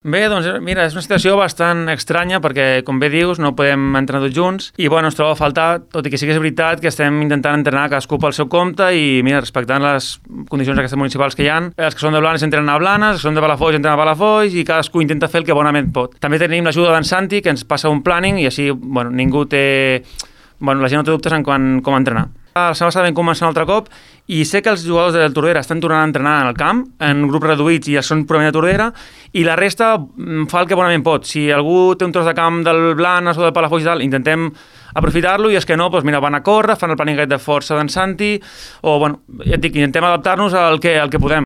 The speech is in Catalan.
Bé, doncs mira, és una situació bastant estranya perquè, com bé dius, no podem entrenar tots junts i bueno, ens troba a faltar, tot i que sí que és veritat que estem intentant entrenar cadascú pel seu compte i mira, respectant les condicions aquestes municipals que hi ha, els que són de Blanes entrenen a Blanes, els que són de Palafolls entrenen a Palafolls i cadascú intenta fer el que bonament pot. També tenim l'ajuda d'en Santi, que ens passa un planning i així bueno, ningú té... Bueno, la gent no té dubtes en com entrenar. La setmana passada vam començar un altre cop i sé que els jugadors del Tordera estan tornant a entrenar en el camp, en grups reduïts i són purament de Tordera, i la resta fa el que bonament pot. Si algú té un tros de camp del Blanes o del Palafolls i tal, intentem aprofitar-lo i és que no, doncs mira, van a córrer, fan el planning de força d'en Santi o, bueno, ja et dic, intentem adaptar-nos al que podem.